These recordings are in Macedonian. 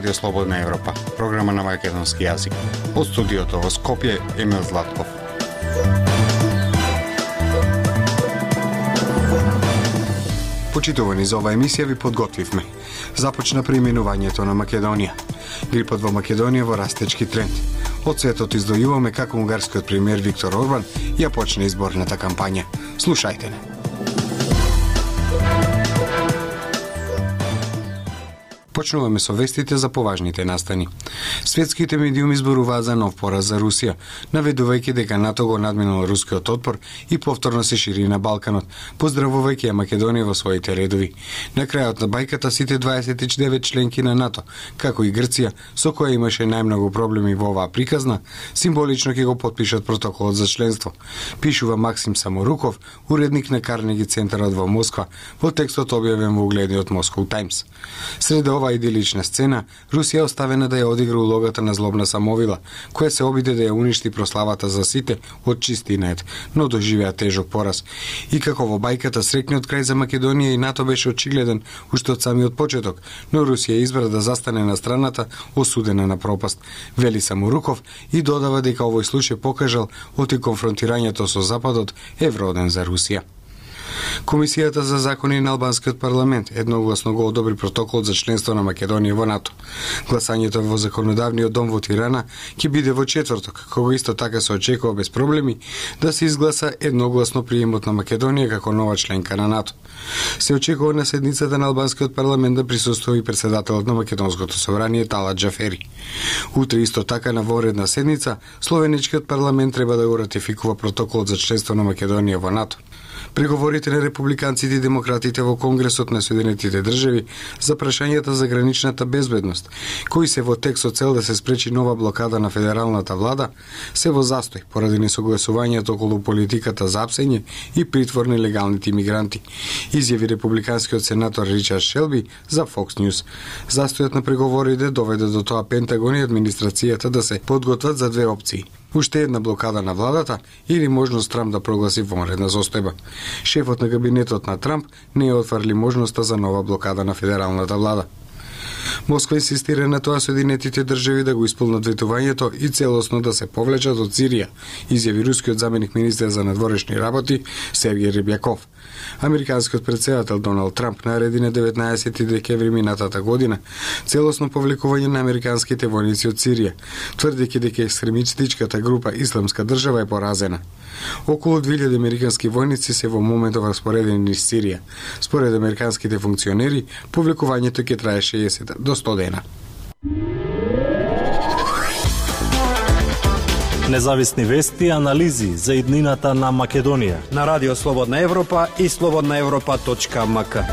Радио Слободна Европа, програма на македонски јазик. Од студиото во Скопје, Емил Златков. Почитувани, за оваа емисија ви подготвивме. Започна преименувањето на Македонија. Грипот во Македонија во растечки тренд. Од светот издојуваме како унгарскиот премиер Виктор Орбан ја почне изборната кампања. Слушајте не. Почнуваме со вестите за поважните настани. Светските медиуми зборуваат за нов пораз за Русија, наведувајќи дека НАТО го надминал рускиот отпор и повторно се шири на Балканот, поздравувајќи ја Македонија во своите редови. На крајот на бајката сите 29 членки на НАТО, како и Грција, со која имаше најмногу проблеми во оваа приказна, символично ќе го потпишат протоколот за членство. Пишува Максим Саморуков, уредник на Карнеги центарот во Москва, во текстот објавен во угледниот Moscow Times. Среде ова идилична сцена, Русија оставена да ја одигра улогата на злобна самовила, која се обиде да ја уништи прославата за сите од чистинет, но доживеа тежок пораз. И како во бајката срекниот крај за Македонија и НАТО беше очигледен уште од самиот почеток, но Русија избра да застане на страната осудена на пропаст, вели Саморуков и додава дека овој случај покажал оти конфронтирањето со Западот е вроден за Русија. Комисијата за закони на албанскиот парламент едногласно го одобри протокол за членство на Македонија во НАТО. Гласањето во законодавниот дом во Тирана ќе биде во четврток, кога исто така се очекува без проблеми да се изгласа едногласно приемот на Македонија како нова членка на НАТО. Се очекува на седницата на албанскиот парламент да присуствува и председателот на Македонското собрание Талат Џафери. Утре исто така на воредна седница словеничкиот парламент треба да го ратификува протоколот за членство на Македонија во НАТО. Преговорите на републиканците и демократите во Конгресот на Соединетите држави за прашањата за граничната безбедност, кои се во тек со цел да се спречи нова блокада на федералната влада, се во застој поради несогласувањето околу политиката за апсење и притвор на легалните имигранти, изјави републиканскиот сенатор Ричард Шелби за Fox News. Застојот на преговорите доведе до тоа Пентагон и администрацијата да се подготват за две опции: уште една блокада на владата или можност Трамп да прогласи вонредна состојба. Шефот на кабинетот на Трамп не ја отврли можноста за нова блокада на федералната влада. Москва инсистира на тоа Соединетите држави да го исполнат ветувањето и целосно да се повлечат од Сирија, изјави рускиот заменик министер за надворешни работи Сергеј Рибјаков. Американскиот претседател Доналд Трамп нареди на 19 декември минатата година целосно повлекување на американските војници од Сирија, тврдејќи дека екстремистичката група Исламска држава е поразена. Околу 2000 американски војници се во моментов распоредени низ Сирија. Според американските функционери, повлекувањето ќе трае 60 до 100 дена. Независни вести и анализи за иднината на Македонија на Радио Слободна Европа и slobodnaevropa.mk.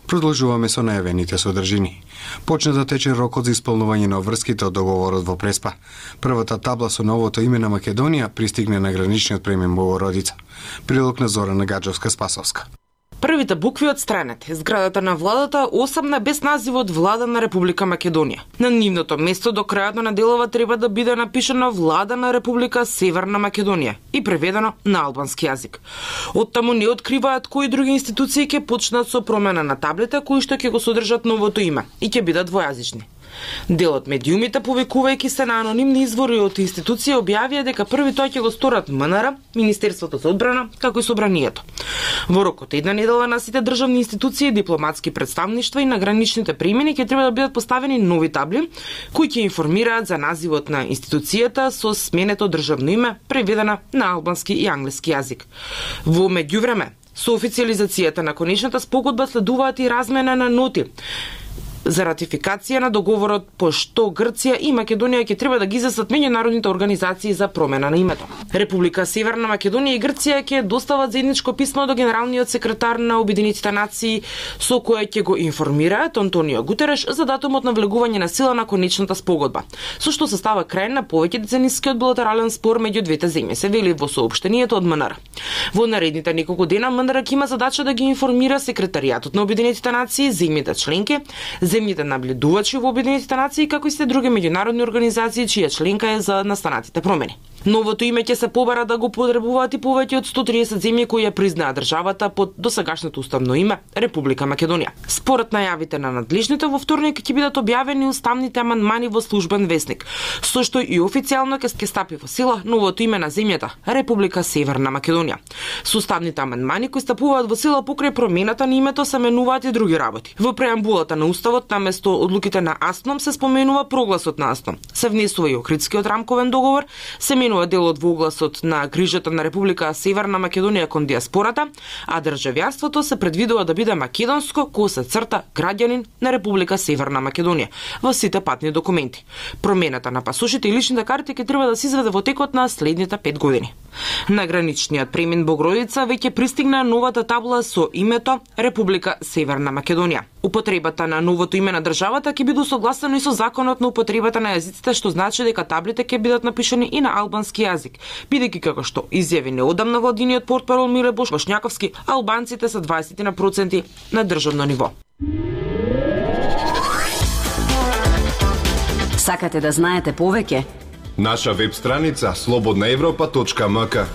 Продолжуваме со најавените содржини. Почна да тече рокот за исполнување на обврските од договорот во Преспа. Првата табла со новото име на Македонија пристигне на граничниот премин Богородица. Прилог на Зорана Гаджовска-Спасовска. Првите букви одстранети. Зградата на владата осамна без називот Влада на Република Македонија. На нивното место до крајот на неделова треба да биде напишано Влада на Република Северна Македонија и преведено на албански јазик. Оттаму не откриваат кои други институции ќе почнат со промена на таблите кои што ќе го содржат новото име и ќе бидат двојазични. Дел од медиумите, повикувајќи се на анонимни извори од институции, објавија дека први тоа ќе го сторат МНР, Министерството за одбрана, како и Собранието. Во рокот една недела на сите државни институции, дипломатски представништва и на граничните премини ќе треба да бидат поставени нови табли кои ќе информираат за називот на институцијата со сменето државно име, преведена на албански и англиски јазик. Во меѓувреме, со официализацијата на конечната спогодба следуваат и размена на ноти за ратификација на договорот по што Грција и Македонија ќе треба да ги излесат меѓународните организации за промена на името. Република Северна Македонија и Грција ќе достават заедничко писмо до генералниот секретар на Обединетите нации со кое ќе го информираат Антонио Гутереш за датумот на влегување на сила на конечната спогодба, со што се става крај на повеќе деценискиот билатерален спор меѓу двете земји, се вели во соопштението од МНР. Во наредните неколку дена МНР ќе има задача да ги информира секретаријатот на Обединетите нации, земјите членки, земјите наблюдувачи во Обединетите нации, како и се други меѓународни организации чија членка е за настанатите промени. Новото име ќе се побара да го потребуваат и повеќе од 130 земји кои ја признаа државата под досегашното уставно име Република Македонија. Според најавите на надлежните, во вторник ќе бидат објавени уставните амандмани во службен весник, со што и официјално ќе стапи во сила новото име на земјата Република Северна Македонија. Со уставните амандмани кои стапуваат во сила покрај промената на името се менуваат и други работи. Во преамбулата на уставот наместо одлуките на АСНОМ се споменува прогласот на АСНОМ. Се внесува и Охридскиот рамковен договор, се менува делот во огласот на грижата на Република Северна Македонија кон диаспората, а државјанството се предвидува да биде македонско, кога се црта граѓанин на Република Северна Македонија во сите патни документи. Промената на пасошите и личните карти ќе треба да се изведе во текот на следните 5 години. На граничниот премин Богородица веќе пристигна новата табла со името Република Северна Македонија. Употребата на новото име на државата ќе биде усогласено и со законот на употребата на јазиците, што значи дека таблите ќе бидат напишани и на албански јазик, бидејќи како што изјави неодамна владиниот портпарол Миле Бошњаковски, албанците се 20% на државно ниво. Сакате да знаете повеќе? Наша веб страница slobodnaevropa.mk.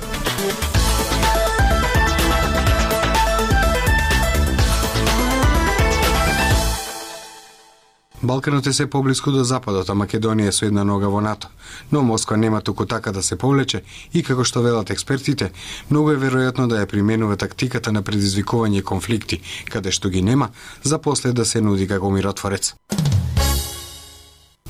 Балканот е се поблиску до западот, а Македонија е со една нога во НАТО. Но Москва нема туку така да се повлече и како што велат експертите, многу е веројатно да ја применува тактиката на предизвикување конфликти, каде што ги нема, за после да се нуди како миротворец.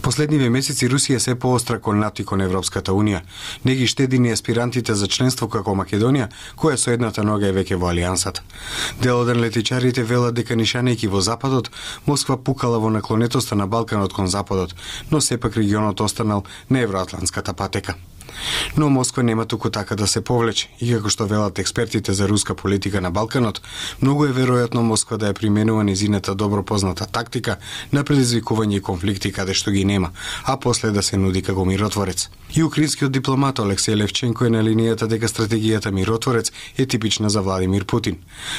Последниве месеци Русија се поостра кон НАТО и кон Европската Унија. Не ги штеди ни аспирантите за членство како Македонија, која со едната нога е веќе во алијансата. Дел од аналитичарите велат дека нишанејќи во Западот, Москва пукала во наклонетоста на Балканот кон Западот, но сепак регионот останал на евроатлантската патека. Но Москва нема туку така да се повлече и како што велат експертите за руска политика на Балканот, многу е веројатно Москва да ја применува незината добро позната тактика на предизвикување и конфликти каде што ги нема, а после да се нуди како миротворец. И украинскиот дипломат Алексеј Левченко е на линијата дека стратегијата миротворец е типична за Владимир Путин.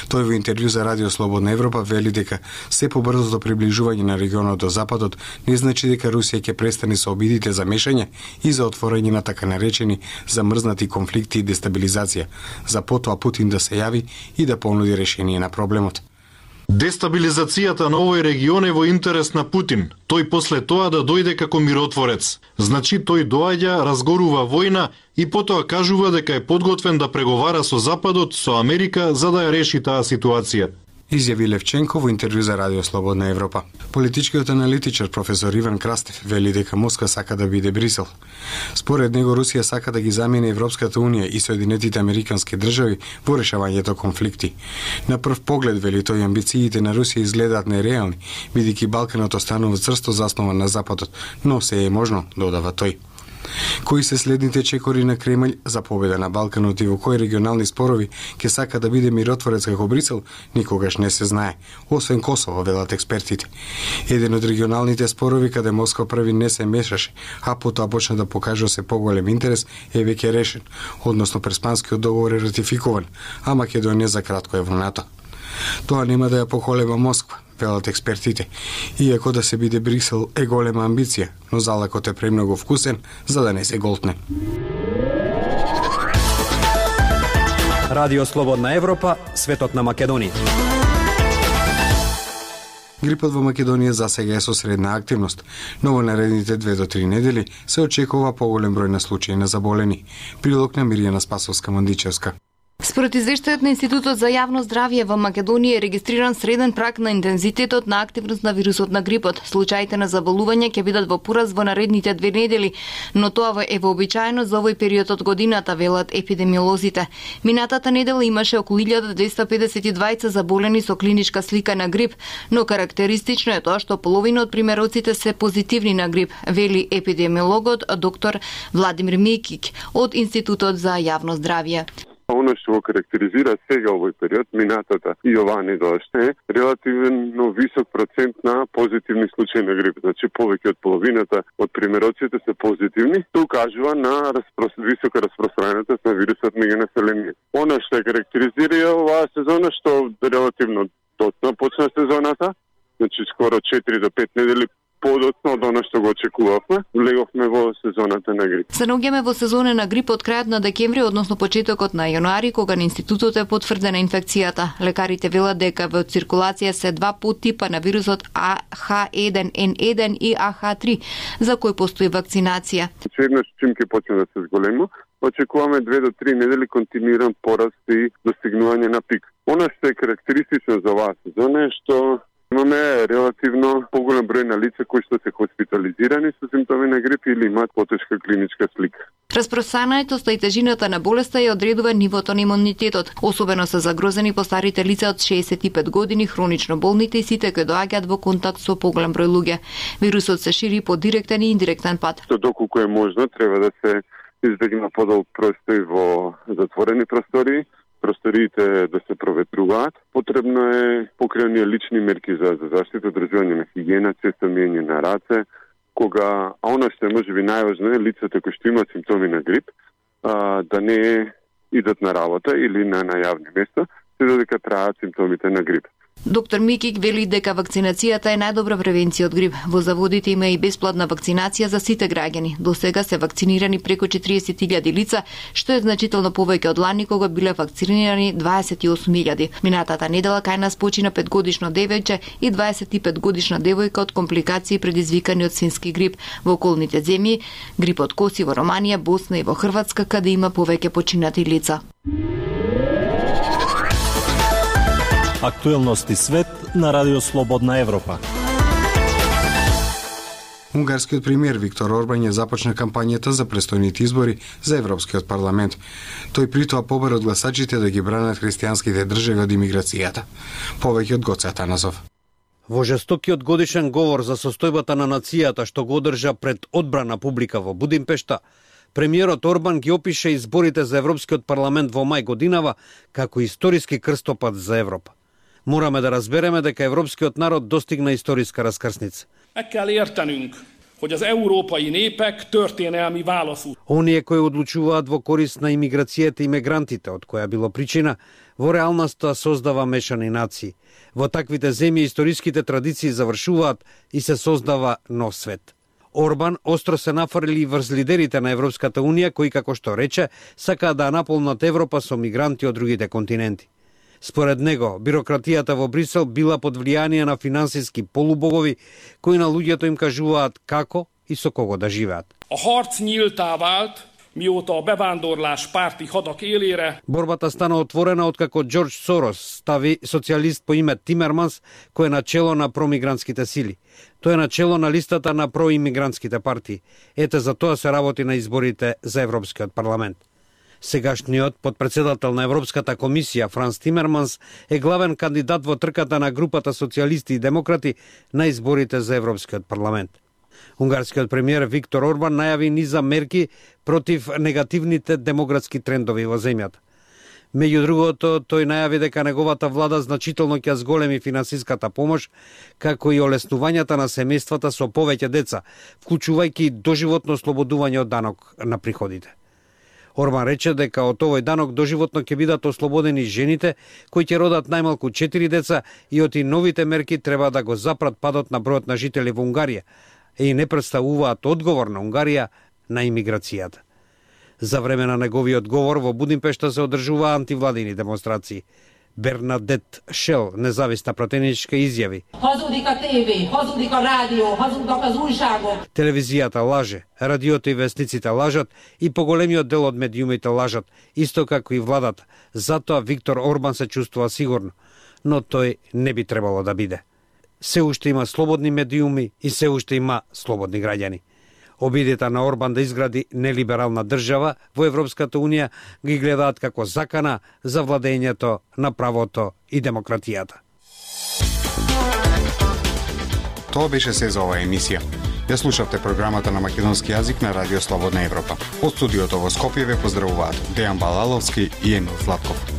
Тој во интервју за Радио Слободна Европа вели дека се побрзото приближување на регионот до Западот не значи дека Русија ќе престане со обидите за мешање и за отворање на така наречени замрзнати конфликти и дестабилизација, за потоа Путин да се јави и да понуди решение на проблемот. Дестабилизацијата на овој регион е во интерес на Путин. Тој после тоа да дојде како миротворец. Значи тој доаѓа, разгорува војна и потоа кажува дека е подготвен да преговара со Западот, со Америка, за да ја реши таа ситуација. Изјави Левченко во интервју за Радио Слободна Европа. Политичкиот аналитичар професор Иван Крастев вели дека Москва сака да биде Брисел. Според него Русија сака да ги замени Европската Унија и Соединетите Американски држави во решавањето конфликти. На прв поглед, вели тој, амбициите на Русија изгледаат нереални, бидејќи Балканот останува црсто заснован на Западот, но се е можно, додава тој. Кои се следните чекори на Кремљ за победа на Балканот и во кои регионални спорови ќе сака да биде миротворец како Брисел, никогаш не се знае, освен Косово, велат експертите. Еден од регионалните спорови каде Москва први не се мешаше, а потоа почна да покажува се поголем интерес, е веќе решен, односно Преспанскиот договор е ратификуван, а Македонија за кратко е во НАТО. Тоа нема да ја поколеба Москва, велат експертите. Иако да се биде Брисел е голема амбиција, но залакот е премногу вкусен за да не се голтне. Радио Слободна Европа, светот на Македонија. Грипот во Македонија засега е со средна активност, но во наредните 2 до 3 недели се очекува поголем број на случаи на заболени. Прилог на Мирјана Спасовска-Мандичевска. Според извештајот на Институтот за јавно здравје во Македонија е регистриран среден праг на интензитетот на активност на вирусот на грипот. Случаите на заболување ќе бидат во пораст во наредните 2 недели, но тоа е вообичаено за овој период од годината, велат епидемиолозите. Минатата недела имаше околу 1252 заболени со клиничка слика на грип, но карактеристично е тоа што половина од примероците се позитивни на грип, вели епидемиологот доктор Владимир Микик од Институтот за јавно здравје. Оно што го карактеризира сега овој период, минатата и оваа недела е релативно висок процент на позитивни случаи на грип. Значи повеќе од половината од примероците се позитивни. Тоа укажува на висока распространетост на вирусот меѓу населението. Оно што карактеризира оваа сезона што релативно точно почна сезоната, значи скоро 4 до 5 недели подоцна од она што го очекувавме, влеговме во сезоната на грип. Се наоѓаме во сезона на грип од крајот на декември, односно почетокот на јануари, кога на институтот е потврдена инфекцијата. Лекарите велат дека во циркулација се два подтипа на вирусот AH1N1 и AH3, за кој постои вакцинација. Еднаш чим ќе почне да се зголема, очекуваме 2 до 3 недели континуиран пораст и достигнување на пик. Она што е карактеристично за оваа сезона е што имаме релативно поголем број на лица кои што се хоспитализирани со симптоми на грип или имаат потешка клиничка слика. Распространетоста и тежината на болеста ја одредува нивото на имунитетот. Особено се загрозени постарите лица од 65 години, хронично болните и сите кои доаѓаат во контакт со поголем број луѓе. Вирусот се шири по директен и индиректен пат. Доколку е можно, треба да се избегнува подолг простој во затворени простории, просториите да се проветруваат. Потребно е покреање лични мерки за заштита, одржување на хигиена, често миење на раце, кога, а она што е можеби најважно е лицата кои што имаат симптоми на грип, да не идат на работа или на јавни места, се додека траат симптомите на грип. Доктор Микик вели дека вакцинацијата е најдобра превенција од грип. Во заводите има и бесплатна вакцинација за сите граѓани. До сега се вакцинирани преку 40.000 лица, што е значително повеќе од лани кога биле вакцинирани 28.000. Минатата недела кај нас почина 5-годишно девојче и 25-годишна девојка од компликации предизвикани од свински грип. Во околните земји грипот коси во Романија, Босна и во Хрватска, каде има повеќе починати лица. Актуелности свет на Радио Слободна Европа. Унгарскиот премиер Виктор Орбан ја започна кампањата за престојните избори за Европскиот парламент. Тој при тоа побара од гласачите да ги бранат христијанските држави од имиграцијата. Повеќе од Гоце Атанасов. Во жестокиот годишен говор за состојбата на нацијата што го одржа пред одбрана публика во Будимпешта, премиерот Орбан ги опише изборите за Европскиот парламент во мај годинава како историски крстопат за Европа. Мораме да разбереме дека европскиот народ достигна историска раскрсница. Meg kell értenünk, hogy az európai népek történelmi válaszút. Оние кои одлучуваат во корист на имиграцијата и мигрантите, од која било причина, во реалноста создава мешани нации. Во таквите земји историските традиции завршуваат и се создава нов свет. Орбан остро се нафрли врз лидерите на Европската унија, кои, како што рече, сакаат да наполнат Европа со мигранти од другите континенти. Според него, бирократијата во Брисел била под влијание на финансиски полубогови, кои на луѓето им кажуваат како и со кого да живеат. A harc nyíltá vált, mióta a bevándorlás párti hadak élére. Борбата стана отворена откако Џорџ Сорос стави социјалист по име Тимерманс, кој е начело на промигрантските сили. Тој е начело на листата на проимигрантските партии. Ете за тоа се работи на изборите за Европскиот парламент. Сегашниот подпредседател на Европската комисија Франс Тимерманс е главен кандидат во трката на групата социјалисти и демократи на изборите за Европскиот парламент. Унгарскиот премиер Виктор Орбан најави низа мерки против негативните демографски трендови во земјата. Меѓу другото, тој најави дека неговата влада значително ќе зголеми финансиската помош, како и олеснувањата на семејствата со повеќе деца, вклучувајќи доживотно ослободување од данок на приходите. Орбан рече дека од овој данок доживотно ќе бидат ослободени жените кои ќе родат најмалку 4 деца и од и новите мерки треба да го запрат падот на бројот на жители во Унгарија и не представуваат одговор на Унгарија на имиграцијата. За време на неговиот говор во Будимпешта се одржува антивладини демонстрации. Бернадет Шел, независна пратеничка, изјави: Hazudika TV, hazudika rádió, hazudnak az újságok. Телевизијата лаже, радиото и вестниците лажат и поголемиот дел од медиумите лажат, исто како и владата. Затоа Виктор Орбан се чувствува сигурно, но тој не би требало да биде. Се уште има слободни медиуми и се уште има слободни граѓани. Обидите на Орбан да изгради нелиберална држава во Европската унија ги гледаат како закана за владењето на правото и демократијата. Тоа беше се за оваа емисија. Ја слушавте програмата на македонски јазик на Радио Слободна Европа. Од студиото во Скопје ве поздравуваат Дејан Балаловски и Емил Златков.